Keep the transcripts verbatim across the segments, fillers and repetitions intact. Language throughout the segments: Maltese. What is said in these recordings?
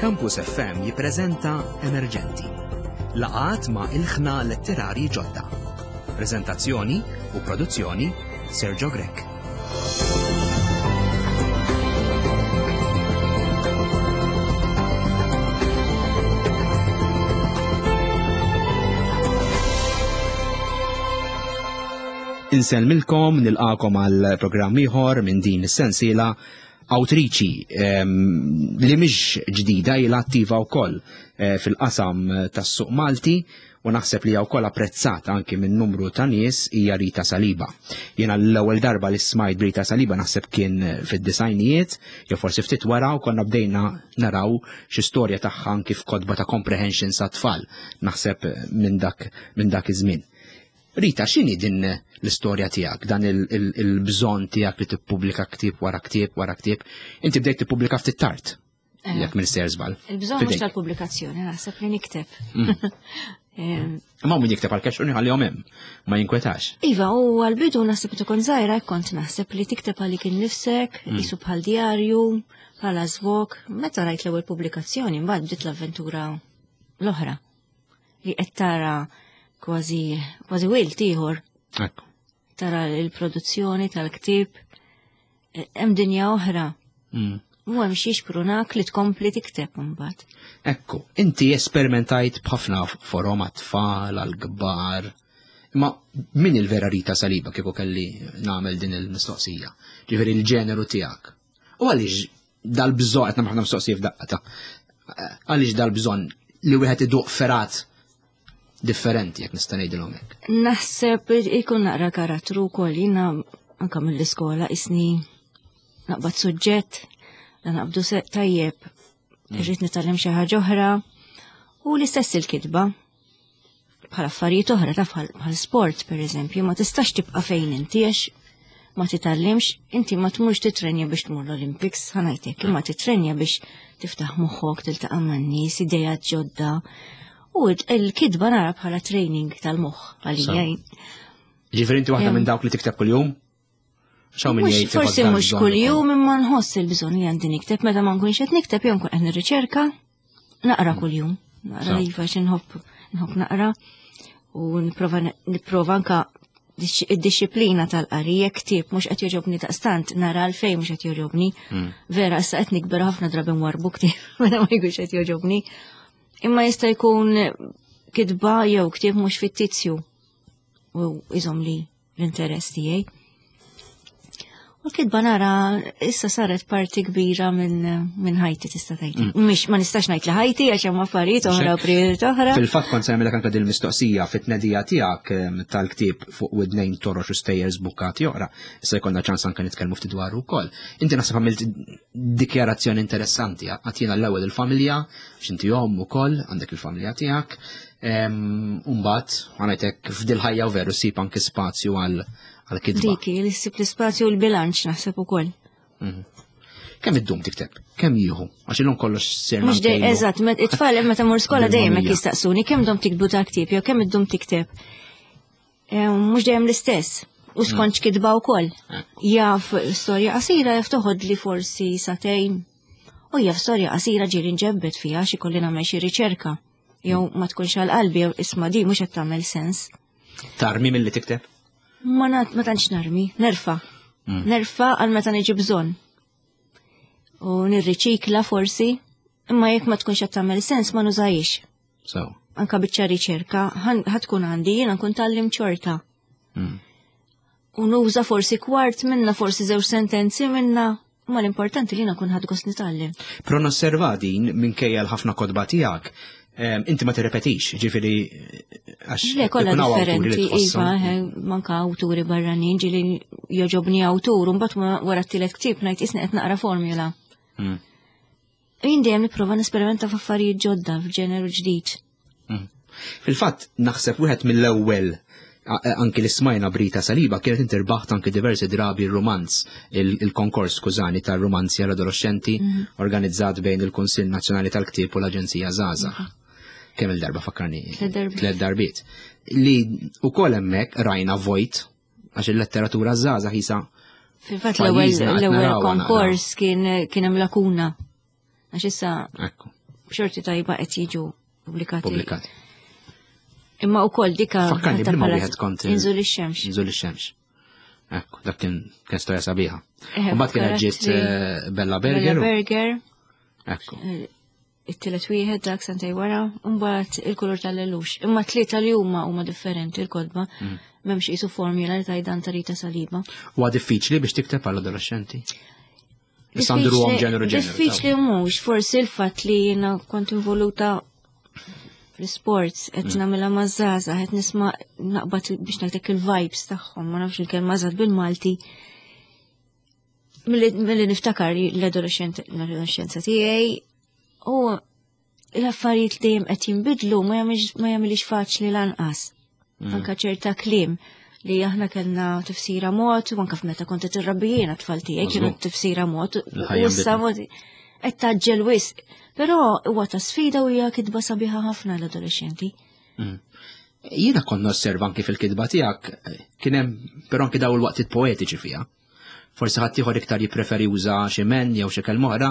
Campus F M jippreżenta Emerġenti. Laqgħat ma' ilħna letterari ġodda. Preżentazzjoni u produzzjoni Sergio Grech. Insellmilkom, nilqakom għal programm ieħor minn din is-sensiela awtriċi, ehm, li mhix ġdida, ilha attiva wkoll, eh, fil-qasam tas-suq Malti u naħseb li hija wkoll apprezzata anki minn numru ta' nies, hija Rita Saliba. Jiena l-ewwel darba li smajt Rita Saliba naħseb kien fid-disajnijiet, jew forsi ftit wara, u konna bdejna naraw xi storja tagħha anki f'kotba ta' comprehension sa' tfal, naħseb minn dak, minn dak iż-żmien. Rita, x'inhi din l-istorja tiegħek, dan il-, il-, il-bżonn tiegħek li tippubblika ktieb wara ktieb wara ktieb? Inti bdejt tippubblika ftit tard, Eh. jekk minn sejjer żball. Il-bżonn mhux Fidejk. tal-pubblikazzjoni, naħseb li nikteb. Mm. Em, Ma min jikteb għal cash u nħallihom hemm, ma jinkwetax. Iva, u għal-bidu naħseb tkun żgħira, kont naħseb li tikteb għalik innifsek, Mm. qisu bħal djarju, bħala żvok. Meta rajt l-ewwel pubblikazzjoni, mbagħad bdiet l-avventura l-oħra li qed tara kważi, kważi wilt ieħor. Ekku. Tara l-produzzjoni tal-ktieb, e, hemm dinja oħra. Mm. U hemm xi xprunak li tkompli tikteb imbagħad. Ekku, inti esperimentajt b'ħafna forom għat-tfal, għall-kbar. Ma min il-vera Rita Saliba kieku kelli nagħmel din il-mistoqsija? Ġifieri l-ġeneru tiegħek. U għaliex dal-bżonn, qed nagħmel ħafna mistoqsija f'daqqa ta' għaliex dal-bżonn li wieħed iduq ferat differenti, jekk nista' ngħidilhom hekk? Naħseb ikun naqra karattru wkoll, jiena anke mill-iskola isni naqbad suġġett, la naqbdu se tajjeb, Mm. irrid nitgħallem xi ħaġa oħra, u l-istess il-kitba. Bħal affarijiet oħra, taf bħal, bħal sport pereżempju, ma tistax tibqa' fejn inti għax ma titgħallimx, inti ma tmurx titrenja biex tmur l-Olympics, ħanajtek, imma titrenja biex tiftaħ moħħok, tiltaqa' man-nies, idejat ġodda. U il-kitba nara bħala training tal-moħħ għalija. Sa. Ġifieri inti waħda Em. minn dawk li tikteb kuljum? X'hawn min Mhux jgħid forsi iħoss dan mhux bżonn kuljum, ukoll. imma nħoss il-bżonn li għandi nikteb, meta ma nkunx qed nikteb jew nkun qed nirriċerka, naqra kuljum. Naqra Sa. iva xi nħobb, nħobb naqra u nipprova nipprova anka disċ-, id-disciplina tal-qari, jekk ktieb mhux qed jogħġobni daqstant, nara għalfejn mhux qed jogħġobni. Mm. Vera, issa qed nikber ħafna drabi nwarbu ktieb meta ma jkunx qed jogħġobni. Imma jista' jkun kitba jew ktieb mhux fittizju u iżom li l-interess tiegħi. U l-kitba nara issa saret parti kbira minn, minn ħajti tista' tgħid. Mm. Mhix ma nistax ngħid li ħajti għax hemm affarijiet oħra u Xek. prijorit oħra. Fil-fatt kont se nagħmilek anke din il-mistoqsija fit-tnedija tiegħek, em, tal-ktieb fuq widnejn torox u stejjer żbukkati oħra. Issa jkollna ċans anke nitkellmu ftit dwaru wkoll. Inti naħseb għamilt dikjarazzjoni interessanti, għatina l-ewwel il-familja, x'inti omm ukoll, għandek il-familja tiegħek. Em, u mbagħad ħanajtek f'dil ħajja u veru ssib anke spazju għal għal-kitba. Dik, li ssib l-ispazju u l-bilanċ naħseb ukoll. Mhm. Kemm iddum tikteb? Kemm jieħu? Għax illum kollox sirna Mhux dej, nkejlu. eżatt, met-, it-tfal meta mur skola dejjem hekk Bil-mamija. jistaqsuni kemm dom tiktbu ta' ktieb jew kemm iddum tikteb. Eh, mhux dejjem l-istess. U skont x'kitba wkoll. Eh. Jaf storja qasira jaf toħod li forsi sagħtejn. U jaf storja qasira ġieli nġebbet fiha xi kolli nagħmel xi riċerka. Jew ma tkunx għal qalbi jew isma' di mhux qed tagħmel sens. Tarmi milli tikteb? Ma nat-, ma tantx narmi, nerfa. Mm. Nerfa għal meta niġi bżonn. U nirriċikla forsi, imma jekk ma tkunx qed tagħmel sens ma nużajx. So. Anka biċċa riċerka, ħan-, ħatkun għandi, jiena nkun tallim ċorta. Mm. U nuża forsi kwart minna, forsi żewġ sentenzi minna, imma l-importanti li jiena nkun ħadd gost nitgħallem. Però nosserva din minkejja l-ħafna kotba tiegħek, em, inti ma tirrepetix, ġifieri, għax Le, kollha ikun hawn awturi li differenti, tħosshom. iva, eh, manka awturi barranin, ġieli joġobni awtur, u mbagħad ma wara t-tielet ktieb ngħid isni qed naqra formula. Mm. Jien dejjem nipprova nesperimenta f'affarijiet ġodda, f'ġeneru ġdid. Mm. Fil-fatt, naħseb wieħed mill-ewwel a-, a-, anki li smajna b'Rita Saliba kienet inti rbaħt anki diversi drabi r-romanz, il-, il-konkors, skużani, tar-romanzi għall-adolescenti Mm. organizzat bejn il-Kunsill Nazzjonali tal-Ktieb u l-Aġenzija Żgħażagħ. Mm. Kemm il-darba fakkarni? Tliet darbiet. Tliet darbiet. Li wkoll hemmhekk rajna vojt għax il-letteratura żgħażagħ jisa Fil-fatt l-ewwel pajjiżna qed l-ewwel narawha naqra. konkors kien, kien hemm lakuna. Għax issa Ekku. B'xorti tajba qed jiġu pubblikati. Pubblikati. Imma wkoll dika Fakkarni ħatta b'liema bħala wieħed kont il- Inżul ix-xemx. Inżul ix-xemx. Ekku, dak kien kien storja sabiħa. Eh, U mbagħad kienet ġiet karattri. eh, Bella Bella Berger. u- Berger, Ekku. it-tielet wieħed dak sentej wara, u mbagħad il-kulur tal-lellux. Imma tlieta li huma huma differenti il-kotba. Mm. M'hemmx qisu formula li tajdan ta' Rita Saliba. Huwa diffiċli biex tikteb għall adolescenti. Issa ndruhom ġeneru ġeneru. Diffiċli mhux, forsi il-fatt li jiena kont involuta fl-sports, qed Mm. nagħmilha maż-żgħażagħ, qed nisma' naqbad biex ngħidlek il-vibes tagħhom, ma nafx il-kelma eżatt bil-Malti. Milli milli niftakar l-adolescent l-adolescenza tiegħi u l-affarijiet li dejjem qed jinbidlu ma jagħmilx ma jagħmilix faċli lanqas. Mm. Anka ċerta kliem li aħna kellna tifsira mod, u anka f'meta kont qed irrabbi jiena tfal tiegħi kienu Mażgur. tifsira mod, u Il-ħajja issa mod qed taġġel wisq. Però huwa ta' sfida u hija kitba sabiħa ħafna l-adolescenti. Jiena kont nosserva anki fil-kitba tiegħek eh, kien hemm però anki daw il-waqtiet poetiċi fiha. Forsi ħadd ieħor iktar jippreferi juża xi men jew xi kelma oħra.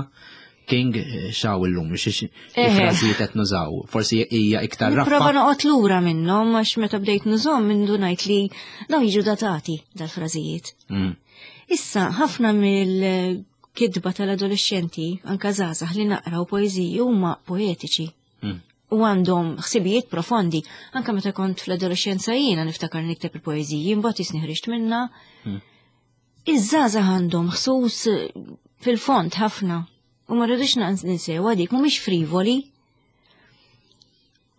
King eh, xaw illum, xi xi Eħe. frażijiet qed nużaw. Forsi hija iktar Nipprova raffa. noqgħod lura minnhom għax meta bdejt nużhom minn ngħid li dawn jiġu datati dal-frażijiet. Mm. Issa, ħafna mill-kidba tal-adolescenti, anka żgħażagħ li naqraw poeżiji huma poetiċi. Mm. U għandhom ħsibijiet profondi. Anka meta kont fl-adolescenza jiena niftakar nikteb il-poeżiji, mbagħad jisni ħriġt minna. Mm. Iż-żgħażagħ għandhom ħsus fil-fond ħafna. U ma rridux ninsew dik mhumiex frivoli.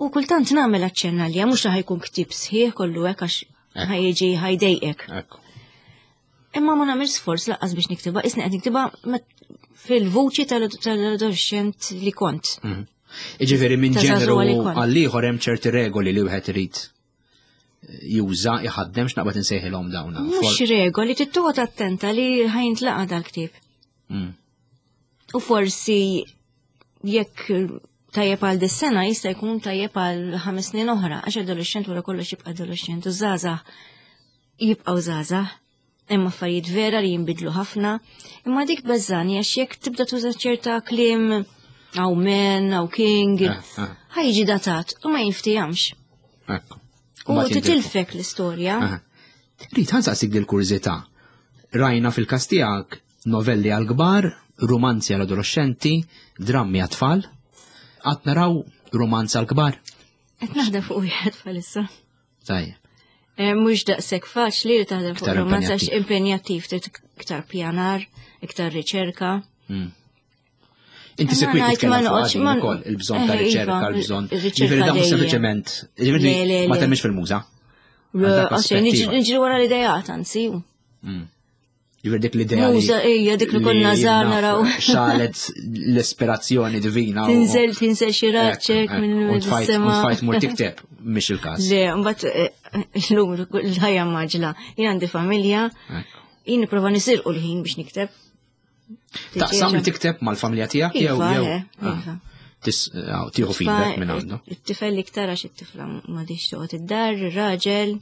U kultant nagħmel aċċenna li mhux ħa jkun ktieb sħiħ kollu hekk għax Ekku. ħa jiġi ħa jdejqek. Ekku. Imma ma nagħmel sforz lanqas biex niktibha, isni qed niktibha met- fil-vuċi tal-adolescent li kont. Mm. Iġifieri minn Ta' ġeneru żagħżugħa li kont. għal ieħor hemm ċerti regoli li wieħed irid juża iħaddem x'naqbad insejħilhom dawn. Mhux regoli, trid toqgħod attenta li ħa jintlaqa' dal-ktieb. Mm. U forsi jekk tajjeb għal dis-sena jista' jkun tajjeb għal ħames snin oħra, għax adolescent wara kollox jibqa' adolescent u żgħażagħ jibqgħu żgħażagħ. Imma affarijiet vera li jinbidlu ħafna. Imma dik beżani għax jekk tibda tuża ċerta kliem aw men, aw king, Eh, eh. ħa jiġi datat u ma jinftijamx. Ekku. U Mbagħad jintilfu. titilfek l-istorja. Aha. Rrid ħa nsaqsik dil-kurżità. Rajna fil-każ tiegħek novelli għal kbar, romanzi għal adolescenti, drammi għat-tfal. Qatt naraw romanz għal kbar. Qed naħdem fuq wieħed bħalissa. Tajjeb. Eh, Mhux daqshekk faċli li taħdem fuq Iktar romanz għax impenjattiv, trid iktar pjanar, iktar riċerka. Mm. Inti Imma sekwit ngħid titkellem ma fuq noqgħodx- din ma- ukoll, il-bżonn ta' Eh, riċerka, iva, il-bżonn. il-riċerka Ġifieri dan mhux dejjem. sempliċement, ġifieri Le, le, ma le. temmix fil-muża. Għandek Għaxej, aspettiva. niġri wara l-idejat, anzi. Mm. Ġifieri dik l-idea li. Muża, ija, dik li konna żgħar naf naraw. Xalet l-ispirazzjoni divina. u- Tinżel, tinżel xi Ekku, raċċek ekku. minn U tfajt- sema. U tfajt mur tikteb, mhix il-każ. Le, mbagħad eh, llum l-ħajja maġla. Jien għandi familja, Ekku. jien nipprova nisirqu l-ħin biex nikteb. Taqsam li tikteb mal-familja tiegħek jew Iva, jew eh, ah, iva. tis- ah, tieħu feedback minn għandu. It-tifel iktar għax it-tifla m'għadix toqgħod id-dar, ir-raġel.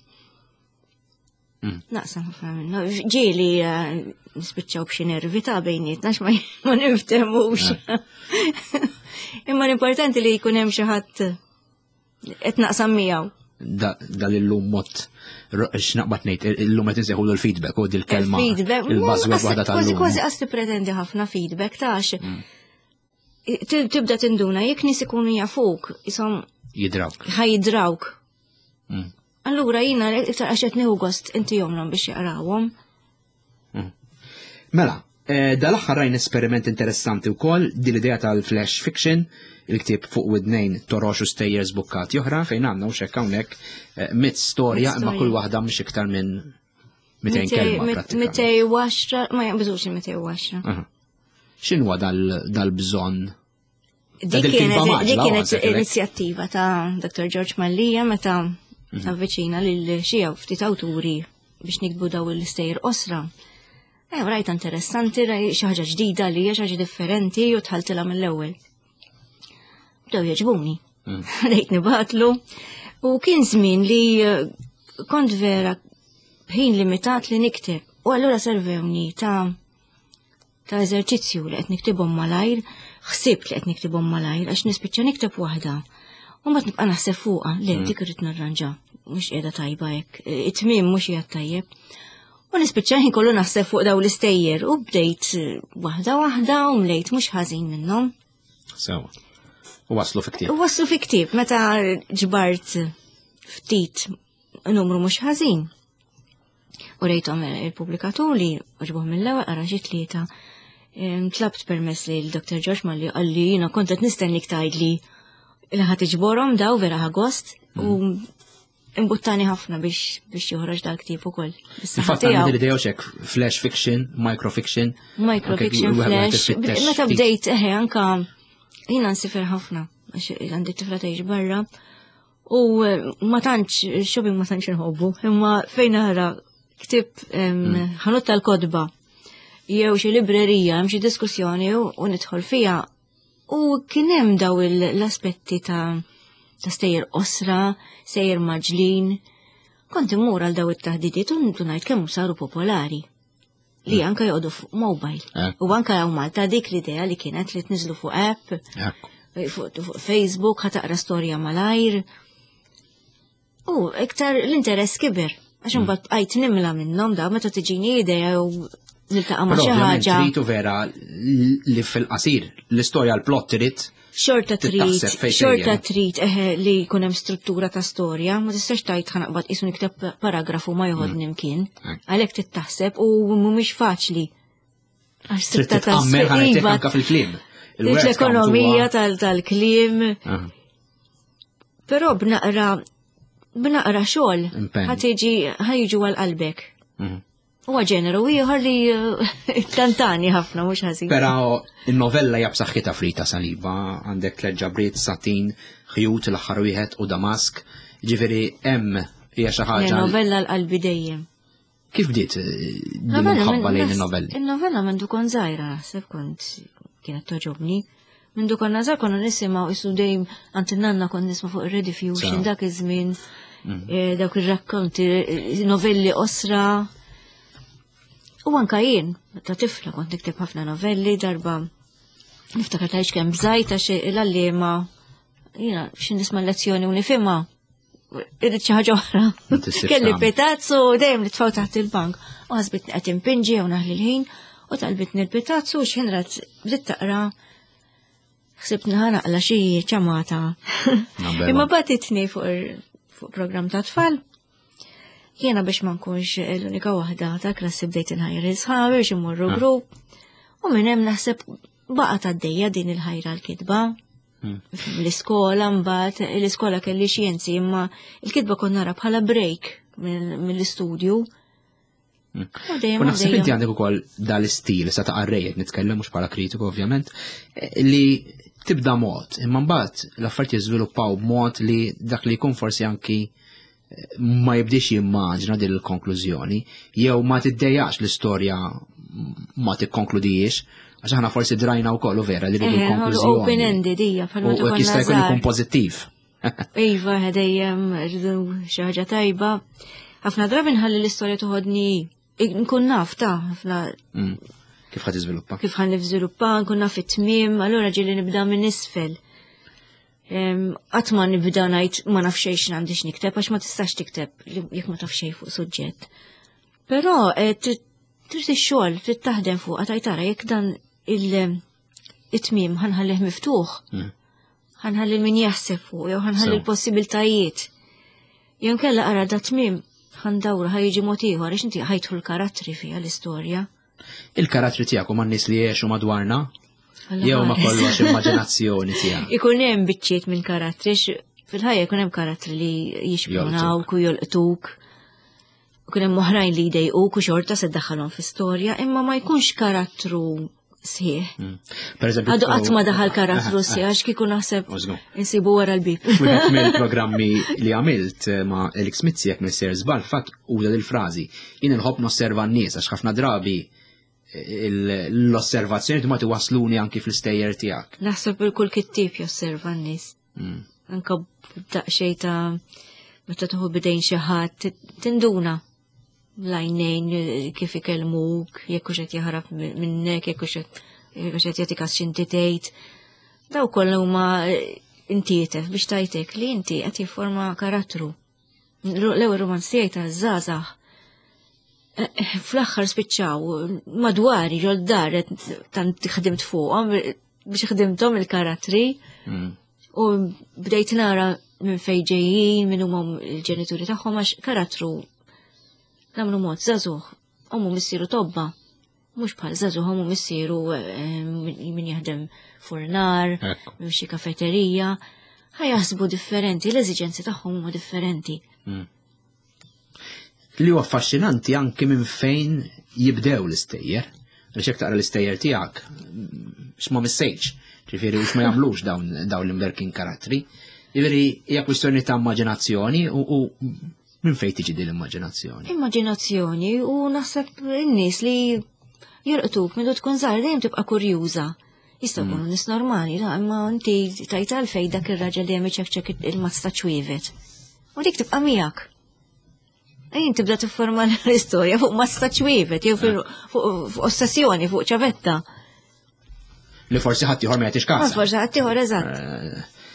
Mm. Naqsam ħafna minnu. Ġieli eh, nispiċċaw b'xi nervi ta' bejnietna għax ma ma niftemux. Imma l-importanti li jkun hemm xi ħadd qed naqsam miegħu. Da- Dal-illum mod x'naqbad ngħid, illum qed insejħulu l-feedback u dil-kelma. Feedback, Il-buzzword waħda kważi tal-lum. kważi qas tippretendi ħafna feedback tax. Tibda tinduna jekk nies ikunu jafuk, isom Jidrawk. ħa jidrawk. Mm. Allura jina iktar għax qed nieħu gost inti jomlhom biex jaqrawhom. Mela, eh, dal-aħħar rajn esperiment interessanti wkoll din l-idea tal-flash fiction, il-ktieb fuq widnejn torox u stejjer żbukkati oħra fejn għandna u xekk hawnhekk eh, mit storja Mit imma storja. kull waħda mhix iktar minn mitejn kelma prattikament. Mitej waxra, ma jaqbżux il-mitej waxra. Aha. X'inhuwa dal- dal-bżonn? Dik dil-kitba kienet maġla, dik u kienet għan sejħilek. inizjattiva ta' Dottor George Mallia meta avviċina lil xi ftit awturi biex nikbu daw il-stejjer qosra. Eh, rajta interessanti, raj xi ħaġa ġdida li hija xi ħaġa differenti u tħaltilha mill-ewwel. Bdew jogħġbuni. Bdejt nibatlu. U kien żmien li eh, kont vera ħin limitat li nikteb. U allura servewni ta' ta' eżerċizzju li qed niktibhom malajr, ħsibt li qed niktibhom malajr għax nispiċċa nikteb waħda. U mbagħad nibqa' naħseb fuqha, le mm. dik irrid narranġa, mhux qiegħda tajba hekk, it-tmiem mhux qiegħed tajjeb. U nispiċċa ħin kollu naħseb fuq daw l-istejjer u bdejt waħda waħda u mlejt mhux ħażin minnhom. Sewa. U waslu fi ktieb. U waslu fi ktieb meta ġbart ftit numru mhux ħażin. U rejthom il-pubblikatur li għoġbuh mill-ewwel qara xi tlieta. Tlabt permess li l-Dr. George Malli qalli jiena kont qed nistennik tgħidli li ħa tiġborhom daw vera ħa gost u mm. imbuttani ħafna biex biex joħroġ dal-ktieb ukoll. Infatti għandi l-idea hekk flash fiction, microfiction. Microfiction, flash. Meta bdejt eħe anka jiena nsiefer ħafna għax għandi tifla tgħix barra u eh, ma tantx shopping ma tantx inħobbu, imma fejn nara ktieb mm. ħanut tal-kotba jew xi librerija hemm xi diskussjoni u nidħol fiha u kien hemm daw l-aspetti ta' ta' stejjer qosra, stejjer mgħaġġlin. Kont immur għal daw it-taħdidiet u ngħid kemm saru popolari li mm. anka joqogħdu fuq mobile. Eh. U anka hawn Malta dik l-idea li kienet li tniżlu fuq app, fuq Facebook, ħa taqra storja malajr. U iktar l-interess kiber. Għax mm. imbagħad bqajt nimla minnhom da meta tiġini idea u niltaqa' ma' xi ħaġa. Tritu vera li fil-qasir l-istorja l-plot trid Xorta trid, xorta trid eħe li jkun hemm struttura ta' storja, ma tistax tgħid ħa naqbad qisu nikteb paragrafu ma joħodni mm. mkien. Għalhekk trid taħseb u mhumiex faċli. Għax trid titqammer iva. anka fil-kliem. L-ekonomija tal-kliem. Però b'naqra b'naqra xogħol ħa tiġi ħa jiġu għal qalbek. Mhm. Huwa ġeneru ieħor li eh, tantani ħafna mhux ħażin. Però in-novella hija b'saħħitha Frita Saliba, għandek tliet ġabriet, satin, ħjut l-aħħar wieħed u Damask. Ġifieri hemm hija xi ħaġa. Novella l-qalbi dejjem. Kif bdiet eh, din il-ħabba lejn il-novelli? Il-novella mindu kont żgħira naħseb kont kienet togħġobni. Mindu konna żgħar konna nisimgħu isu dejjem għand in-nanna kont nisma' fuq ir-Rediffusion dak iż-żmien mm. eh, dawk ir-rakkonti, novelli qosra. U anka jien, ta' tifla kont nikteb ħafna novelli darba niftakar tgħidx kemm bżajt għax l-għalliema jiena xi nisma' lezzjoni u nifhimha irrid xi ħaġa oħra. Kelli pitazzu dejjem li tfaw taħt il-bank. U ħasbitni qed impinġi u naħli l-ħin u talbitni l-pitazzu u x'ħin rat bdiet taqra ħsibt naqla xi ċamata. Imma bagħtitni fuq programm ta' tfal. Jiena biex ma nkunx l-unika waħda ta' klassi bdejt inħajr sħabi biex immorru ah. grupp. U minn hemm naħseb baqgħet għaddejja din il-ħajra l-kitba. Hmm. L-iskola mbagħad l-iskola kelli xjenzi imma l-kitba kont nara bħala break mill-istudju. Hmm. U naħseb inti għandek ukoll dal-istil sa ta' qarrejjed nitkellem mhux bħala kritiku ovvjament li tibda mod, imma mbagħad l-affarijiet jiżviluppaw b'mod li dak li jkun forsi anki ma jibdix jimmaġna din il-konklużjoni, jew ma tiddejjax l-istorja ma tikkonkludijiex, għax aħna forsi drajna wkoll u vera li rridu l-konklużjoni. Open-ended hija bħalma U jista' jkun ikun pożittiv. Iva, dejjem rridu xi ħaġa tajba. Ħafna drabi nħalli l-istorja toħodni nkun naf ta' ħafna. Mm. Kif ħa tiżviluppa? Kif ħa niżviluppa, nkun naf it-tmiem, allura ġieli nibda minn isfel. Qatt ma nibda ngħid ma naf xejn għandix nikteb għax ma tistax tikteb jekk ma taf xejn fuq suġġett. Però eh, trid ix-xogħol, trid taħdem fuq għataj tara jekk dan il-tmiem ħa nħallih miftuħ. Mm. Ħa nħalli min jaħseb fuq, jew ħa nħalli l-possibiltajiet. Jew kella ara da tmiem ħa ndawru ħa jiġi mod ieħor għax inti ħa jidħlu l-karattri fiha l-istorja. Il-karattri tiegħek huma n-nies li jgħixu madwarna? Jew ma kollox immaġinazzjoni tiegħek. Ikun hemm biċċiet minn karattri, fil-ħajja jkun hemm karattri li jixprunawk u jolqtuk. Ikun hemm oħrajn li jdejquk u xorta se ddaħħalhom fi storja, imma ma jkunx karattru sħiħ. Mm. Per eżempju, Għadu qatt ma daħal karattru sħiħ għax kieku naħseb insibu wara l-bib. Wieħed mill-programmi li għamilt eh, ma' Alex Mizzi jekk m'iniex żball fatt uża il-frażi. Jien inħobb nosserva n-nies għax ħafna drabi l-osservazzjoni ma tiwasluni anki fl-istejjer tiegħek. Naħseb il kull kittieb josserva n-nies. Mm. Anka daqsxejn ta' meta tieħu bidejn xi ħadd tinduna L-għajnejn eh, kif ikellmuk, jekk hux qed jaħrab minnek, jekk hux qed jagħtik x'inti tgħid. Daw kollha huma eh, intietef biex tajtek li inti qed jifforma karattru. L-ewwel romanz tiegħi ta' żgħażagħ eh, fl-aħħar spiċċaw madwari ġol dar tant ħdimt fuqhom biex ħdimthom il-karattri mm. u bdejt nara minn fejn ġejjin, minn huma l-ġenituri tagħhom għax karattru nagħmlu mod żagħżugħ, ommu missieru tobba, mhux bħal żagħżugħ ommu missieru eh, min jaħdem furnar, minn xi kafeterija, ħa jaħsbu differenti, l-eżiġenzi tagħhom huma differenti. Mm. Li huwa affaxxinanti anki minn fejn jibdew l-istejjer. Għax jekk taqra l-istejjer tiegħek, x'ma missejx, ġifieri u x'ma jagħmlux dawn dawn l-imberkin karattri. Ġifieri hija kwistjoni ta' immaġinazzjoni u, u minn fejn tiġi din l-immaġinazzjoni? Immaġinazzjoni u naħseb in-nies li jolqtuk minn tkun żgħar dejjem tibqa' kurjuża. Jistgħu jkunu mm. nies normali, la, imma inti tajt għalfejn dak ir-raġel dejjem iċekċek il-mazz ta' ċwievet. U dik tibqa' miegħek. Ejn tibda tifforma l-istorja fuq mazz ta' ċwievet, jew fuq ossessjoni, fuq ċavetta. Li forsi ħadd ieħor ma jagħtix kas. Forsi ħadd ieħor eżatt. Eh,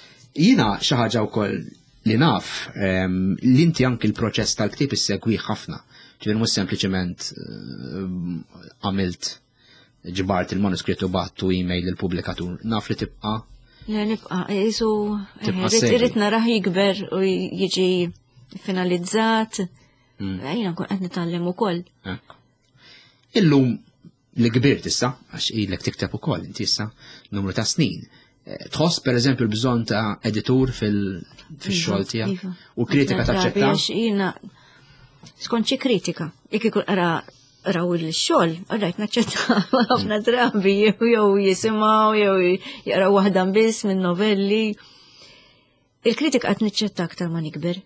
jiena xi ħaġa wkoll li naf ehm, li inti anki l-proċess tal-ktieb issegwi ħafna. Ġifieri mhux sempliċement eh, għamilt ġbart il-manuskritt u battu email il-pubblikatur. Naf li tibqa' Le nibqa' isu eh, irrid narah jikber u jiġi finalizzat. Mm. Jiena nkun qed nitgħallem ukoll. Illum li kbirt issa, għax ilek tikteb ukoll inti issa numru ta' snin. Eh, tħoss per eżempju l-bżonn ta' editur fil-xogħol iva, tiegħek iva. u kritika taċċetta? Jiena skont xi kritika, jekk ikun qra raw il-xogħol, rajt naċċetta ħafna drabi jew jisimgħu jew jaqraw waħda biss minn novelli. Il-kritika qed niċċetta aktar ma nikber.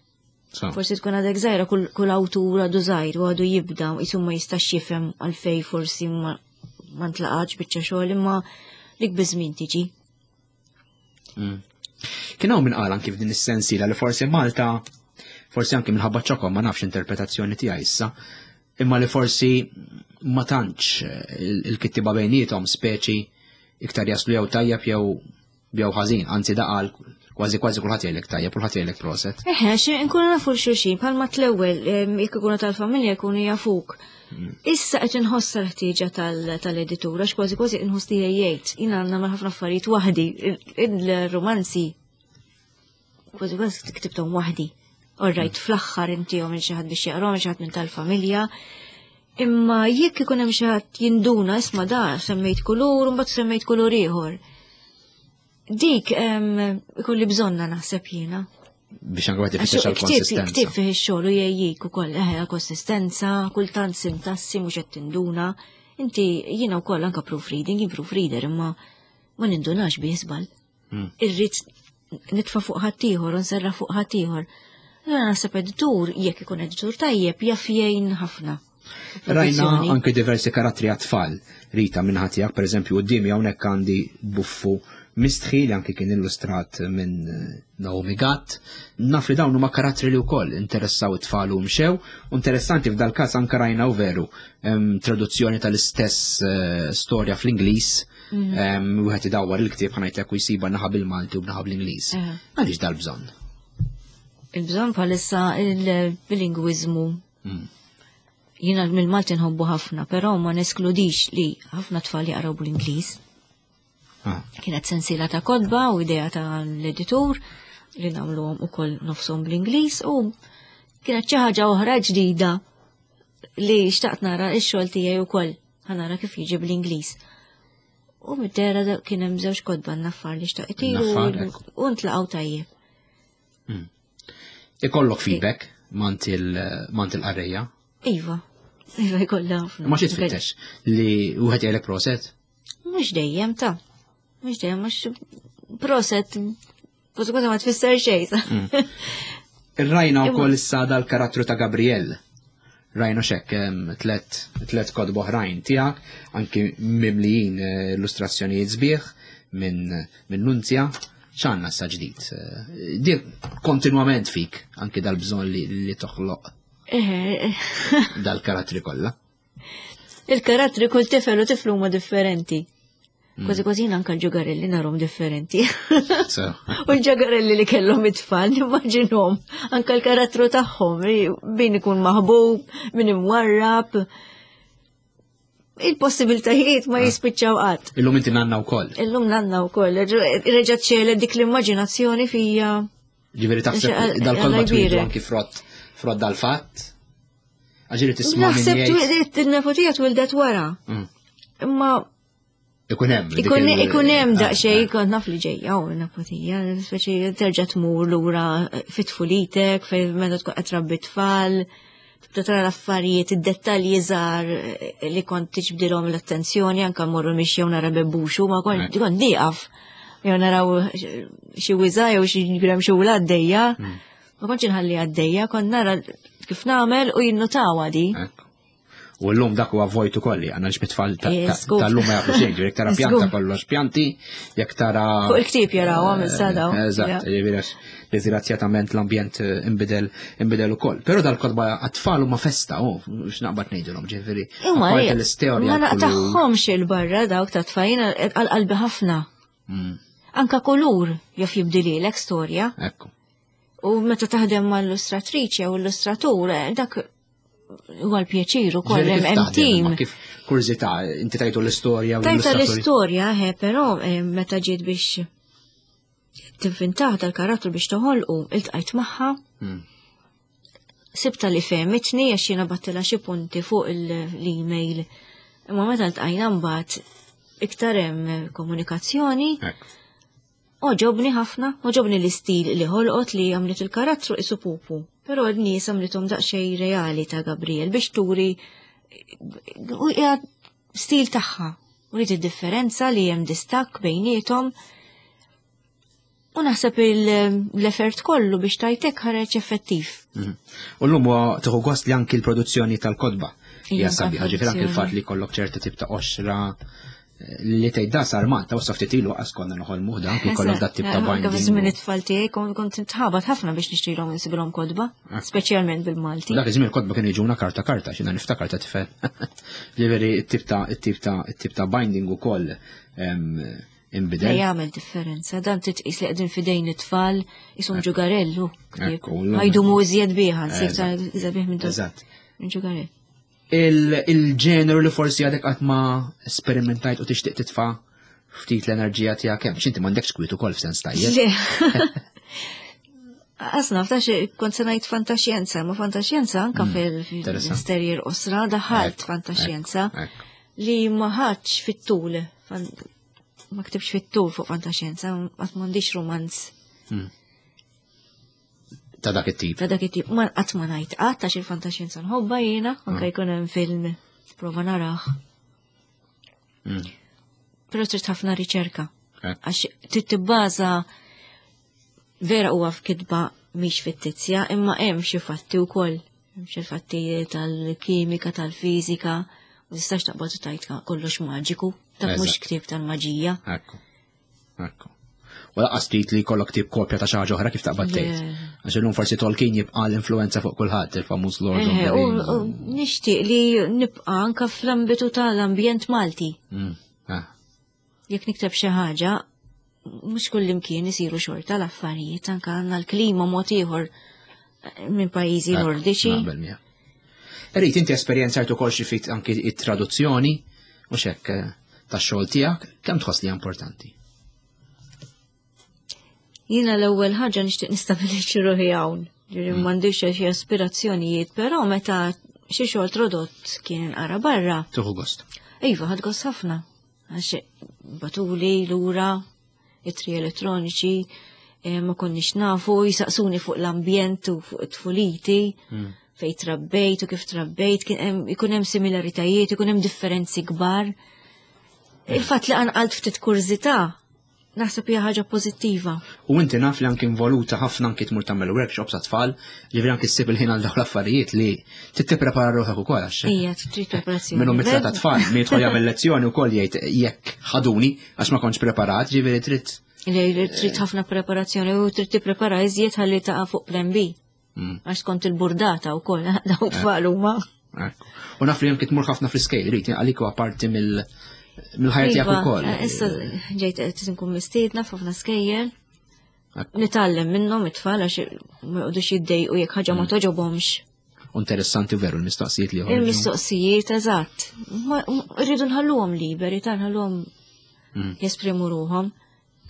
Forsi tkun għadek żgħira kull awtur għadu żgħir u għadu jibda u jisum ma jistax jifhem għalfej forsi ma ntlaqax biċċa xogħol imma dik biż-żmien tiġi. Mm. Kien hawn min qal anki f'din is-sensiela li forsi Malta forsi anki minħabba ċokom ma nafx interpretazzjoni tiegħi issa, imma li forsi ma tantx il-kittiba bejniethom speċi iktar jaslu jew tajjeb jew jew ħażin, anzi daqal kważi kważi kulħadd jgħidlek tajjeb, kulħadd jgħidlek proset. Eħe, xi nkunu nafu xulxin bħalma tl-ewwel jekk ikunu tal-familja jkunu jafuk. Mm. Issa qed inħossa l-ħtieġa tal-editur għax kważi kważi inħoss li jgħid. Jiena nagħmel ħafna affarijiet waħdi, il-romanzi kważi kważi ktibthom waħdi. All right, mm. fl-aħħar intihom minn xi ħadd biex jaqrom, xi ħadd minn tal-familja. Imma jekk ikun hemm xi ħadd jinduna isma' da semmejt kulur u mbagħad semmejt kulur ieħor. Dik ikolli bżonna naħseb jiena. Biex anke wieħed ifittex għall-konsistenza. Ktieb fih ix-xogħol u jgħejjik ukoll eħe konsistenza, kultant sintassi mhux qed tinduna. Inti jiena wkoll anke proofreading, jien proofreader imma ma nindunax bih żball. Hmm. Irrid nitfa' fuq ħaddieħor u nserraħ fuq ħaddieħor. Jiena naħseb editur, jekk ikun editur tajjeb, jaf jgħin ħafna. Rajna anke diversi karattri għat-tfal. Rita minn ħatijak, per eżempju, qudiemi hawnhekk għandi buffu mistħi li anke kien illustrat minn eh, Naomi Gatt. Naf li dawn huma karattri li wkoll interessaw it-tfal u mxew. Interessanti f'dal każ anke rajna u veru traduzzjoni tal-istess eh, storja fl-Ingliż. Mhm. Wieħed idawwar il-ktieb ħanajtek u jsiba naħa bil-Malti u b'naħa bl-Ingliż. Għaliex dal-bżonn? Il-bżonn bħalissa il-bilingwiżmu. Mm. Jiena mill-Malti nħobbu ħafna, però ma neskludix li ħafna tfal jaqraw bl-Ingliż. Ah. Kienet sensiela ta' kodba u idea ta' l-editur li nagħmluhom ukoll nofshom bl-Ingliż u kienet xi ħaġa oħra ġdida li xtaqt nara x-xogħol tiegħi wkoll ħanara kif jiġi bl-Ingliż. U mid-dera kien hemm żewġ kodba naffar li xtaqt itiru u ntlaqgħu tajjeb. Hmm. Ikollok feedback mant il-qarrejja? Iva, iva jkollha ħafna. Ma xi tfittex li wieħed jgħidlek proset? Mhux dejjem ta' mhux dejjem mhux proset kważi kważi ma tfisser xejn. Mm. Rajna wkoll issa dal-karattru ta' Gabriel. Rajna xek tlet tlet kotba oħrajn tiegħek, anki mimlijin eh, illustrazzjonijiet sbieħ minn minn Nunzja. X'għandna issa ġdid? Eh, Di kontinwament fik anki dal-bżonn li, li toħloq. Eh, Dal-karattri kollha. Il-karattri kull tifel u tiflu huma differenti. Kważi kważi jien anka l-ġugarelli narhom differenti. So, U l-ġugarelli li kellhom it-tfal, nimmaġinhom anka l-karattru tagħhom, min ikun maħbub, min imwarrab. Il-possibiltajiet ma jispiċċaw qatt. Illum inti nanna wkoll. Illum nanna wkoll, reġa' ċelet dik l-immaġinazzjoni fija. Ġifieri taħseb Alla dal-kotba twildu jbierek. anki frott frott dal-fatt. Għax ġieli tisma' min Naħseb jgħid. twildet il-nepotija twildet wara. Mm. Imma Ikun hemm. dik Ikun il- ikun hemm ah, daqsxejn ah. kont naf li ġejja u nepotija, speċi terġa' tmur lura fit-tfulitek fejn meta tkun qed trabbi tfal, tibda tara l-affarijiet, id-dettalji żgħar li kont tiġbdilhom l-attenzjoni anke mmorru mixi jew nara bebbuxu, ma kont Ekku. kont nieqaf. Jew naraw xi wiża jew xi gremxula għaddejja. Mm. Ma kontx inħalli għaddejja, kont nara kif nagħmel u jinnutawa di. Ekku. U l-lum dak huwa vojt ukoll li għandna xbit-tfal Eh, żgur. tal-lum ma jafu xejn, jekk tara pjanta Żgur. kollox pjanti, jekk tara. Fuq il-ktieb jaraw, għamil sadaw. Eżatt, ġifieri għax disgrazzjatament l-ambjent eh, imbidel imbidel ukoll. Però dal-kotba għat-tfal huma festa, oh, x'naqbad ngħidilhom, ġifieri. Imma apparti l-istorja. ma l-kulur. naqtaħħomx il-barra dawk ta' tfajna għal-qalbi ħafna. Mm, Anka kulur jaf jibdililek storja. Ekku. U meta taħdem ma' illustratriċi jew illustratur, eh, dak huwa l-pjaċir ukoll Ġifieri hemm kif hemm taħdem, team. imma Kif kurżità, inti tajtu l-istorja u Tajta l-illustratori. l-istorja, he, però eh, meta ġiet biex tinvintah dal-karattru biex toħolqu, iltqajt magħha, Mm. sibta li fehmitni għax jiena bgħattilha xi punti fuq l-email. Imma meta ltqajna mbagħad iktar hemm komunikazzjoni, Ekku. Għoġobni ħafna, għoġobni l-istil li ħolqot li għamlet il-karattru isu pupu. Però n-nies għamlithom daqsxejn reali ta' Gabriel biex turi u hija stil tagħha. Uriet id-differenza li hemm distakk bejniethom. U naħseb l-effort kollu biex tajtek ħareġ effettiv. Mhm. U l-lum huwa tieħu gost li anki l-produzzjoni tal-kotba. Ija, Hija sabiħa, ġifieri anki l-fatt li kollok ċerta tip ta' qoxra eh, li tgħid da sar Malta u ftit ilu qas konna noħolmuh da anki kollok dat tip ta' Anke fi żmien binding. it-tfal tiegħi kont kont nitħabat ħafna biex nixtrilhom insibilhom kotba, Ah. speċjalment bil-Malti. Dak iż-żmien il-kotba kienu jiġuna karta karta, xina niftakar ta' tifel. Ġifieri it-tip ta' it-tip ta' it-tip ta' binding ukoll em, Le inbidel. jagħmel differenza, dan titqis li qegħdin fidejn it-tfal ishom ġugarellu. ktieb. Ekku, l-lum- Ħajdumu iżjed biha, nsib ta' Eżatt. iżjed bih minn Eżatt. minn ġugarell. Il- Il-ġeneru li forsi għadek qatt ma esperimentajt u tixtieq titfa' ftit l-enerġija tiegħek hemm, x'inti m'għandekx kwiet ukoll f'sens tajjeb. Le. Asna, ftax kont se ngħid fantaxjenza, ma fantaxjenza anka interessanti. fil-sterjer osra daħalt Ekku, fantaxjenza ekku. li ma ħadx fit-tul. Fan- Ma ktibx fit-tul fuq fantaxjenza, qatt m'għandix romanz Ta' dak it-tip. ta' dak it-tip. Ma qatt ma ngħid qatt għax il-fantaxjenza nħobbha jiena, anke jkun hemm film prova narah. Mm. Però trid ħafna riċerka. Ekku. Għax trid tibbaża vera huwa f'kitba mhix fittizja, imma hemm xi fatti wkoll. Hemm xi fatti tal-kimika, tal-fiżika, ma tistax taqbad u tgħid kollox maġiku. Dak mhux Eżatt. ktieb tal-maġija. Ekku. Ekku. U lanqas trid li jkollok tip kopja ta' xi ħaġa oħra kif taqbad tgħid. Le. Għax illum forsi Tolkien jibqa' l-influenza fuq kulħadd, il-famuż Lord of Eh, the U Rings. u nixtieq li nibqa' anke fl-ambitu tal-ambjent Malti. Mm. Ah. Jekk nikteb xi ħaġa, mhux kullimkien isiru xorta l-affarijiet, anke għandna l-klima mod ieħor eh, minn pajjiżi Ekku, nordiċi. Naqbel miegħek. Erit, inti esperjenzajt ukoll xi ftit anki it-traduzzjoni u xekk eh, tax-xogħol tiegħek, kemm tħoss li hija importanti? Jiena l-ewwel ħaġa nixtieq nistabilixxi ruħi hawn. Ġifieri m'għandix xi aspirazzjonijiet, però meta xi xogħol tradott kien inqara barra, Tieħu gost. iva ħadt gost ħafna. Għax bagħtuli lura ittri elettroniċi, eh, ma konniex nafu, jisaqsuni fuq l-ambjent u fuq it-tfuliti, fej trabbejt u kif trabbejt, kien hemm- ikun hemm similaritajiet, ikun hemm differenzi kbar. Il-fatt li qanqalt ftit kurżità, naħseb hija ħaġa pożittiva. U inti naf li anki involuta ħafna anki tmur tagħmel workshops għat-tfal, ġifieri anki ssib il-ħin għal dawn l-affarijiet li trid tipprepara ruħek ukoll għax. Ija, trid preparazzjoni. Minnu mitla ta' tfal, min jidħol jagħmel lezzjoni wkoll jgħid jekk ħaduni għax ma kontx preparat, ġifieri trid Li trid ħafna preparazzjoni u trid tipprepara iżjed ħalli taqa' fuq plan B. Mm. Għax kont il-burdata u koll, dawn tfal huma. Ekku. U naf li hemm tmur ħafna fl-iskejjel, Rita, għalik huwa parti mill- mill-ħajja tiegħek Iva, ukoll. eh, Issa ġejt qed nkun mistiedna f'ħafna skejjel. Ekku. Nitgħallem minnhom it-tfal għax ma jqogħdux jiddejqu jekk ħaġa ma Mm. toġobhomx. Interessanti veru l-mistoqsijiet li joħorġu. Il-mistoqsijiet, eżatt. Ma- Rridu nħalluhom liberi, ta' nħalluhom Mm. jesprimu ruhom.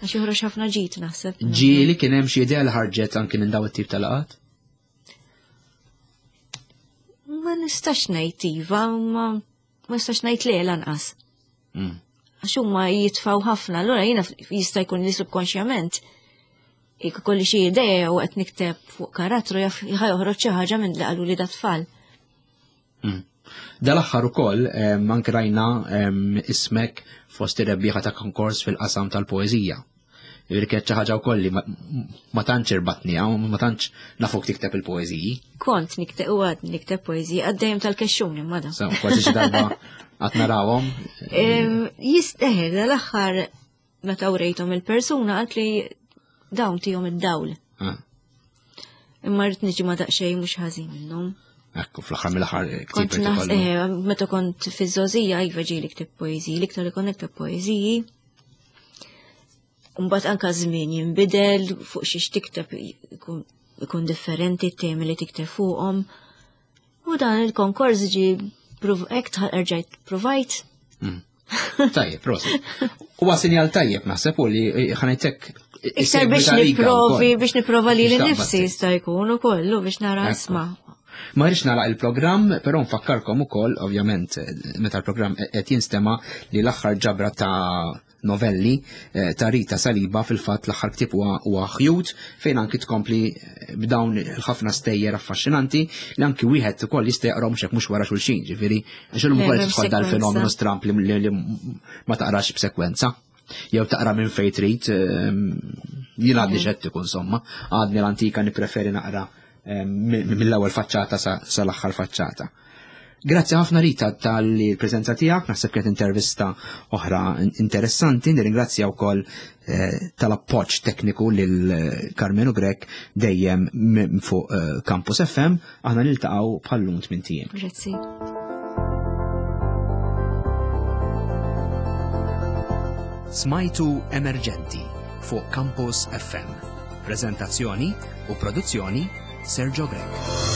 Għax joħroġ ħafna ġid naħseb. Ġieli kien hemm xi idea li ħarġet anki minn dawn it-tip tal-laqgħat? Ma nistax ngħid iva, ma ma nistax ngħid le lanqas. Mm. Għax huma jitfaw ħafna, allura jiena jista' jkun li subkonxjament jekk ikolli xi idea u qed nikteb fuq karattru jaf ħa joħroġ xi ħaġa minn li qalu li dat-tfal. Mm. Dal-aħħar ukoll em, anke rajna em, ismek fost ir-rebbieħa ta' konkors fil-qasam tal-poeżija. Jiġifieri kienet xi ħaġa wkoll li ma, ma tantx irbatni, ma tantx nafuk tikteb il-poeżiji. Kont nikteb u għad nikteb poeżiji għaddejjem tal-kexxun imma da. So, forsi xi darba qatt narawhom. Em, Jisteħel dal-aħħar meta urejthom il-persuna qalt li dawn tihom id-dawl. Ah, Imma rrid niġi ma daqsxejn mhux ħażin minnhom. Ekku, fl-aħħar mill-aħħar Kont ktieb naħs, ikollu. eh, meta kont fiż-żgħożija iva ġieli ktib poeżiji, l-iktar li kont nikteb poeżiji. Mbagħad anka żmien jinbidel fuq xiex tikteb ikun ikun differenti t-temi li tikteb fuqhom. U dan il-konkors ġi prov- hekk tħ- erġajt provajt. Mm. Tajjeb, prosit. Huwa sinjal tajjeb naħseb u li ħa ngħidlek Iktar biex niprovi, biex niprova li Biex taqbad nifsi tgħid. jista' jkun ukoll u biex nara Ekku. isma'. Ma rridx nagħlaq il-programm, però nfakkarkom ukoll, ovvjament, meta l-programm qed jinstema' li l-aħħar ġabra ta' novelli eh, ta' Rita Saliba fil-fatt l-aħħar ktieb huwa huwa Ħjut fejn anki tkompli eh, b'dawn il-ħafna stejjer affaxxinanti li anki wieħed ukoll jista' jaqrahom xek mhux wara xulxin, ġifieri għax illum Le, ukoll m'hemm tidħol dal-fenomenu sekwenza. stramp li, li, li ma taqrax b'sekwenza. Jew taqra minn fejn trid, ehm, jien għadni xettiku insomma, għadni l-antika nippreferi naqra ehm, mill-ewwel faċċata sa sal-aħħar faċċata. Grazzi ħafna Rita tal-preżenza tiegħek, naħseb kienet intervista oħra interessanti, nirringrazzja wkoll eh, tal-appoġġ tekniku lil eh, Carmenu Grech dejjem m- fuq eh, Campus F M, aħna niltaqgħu bħal-lum tmint ijiem. Grazzi. Smajtu Emerġenti fuq Campus F M. Prezentazzjoni u produzzjoni Sergio Grech.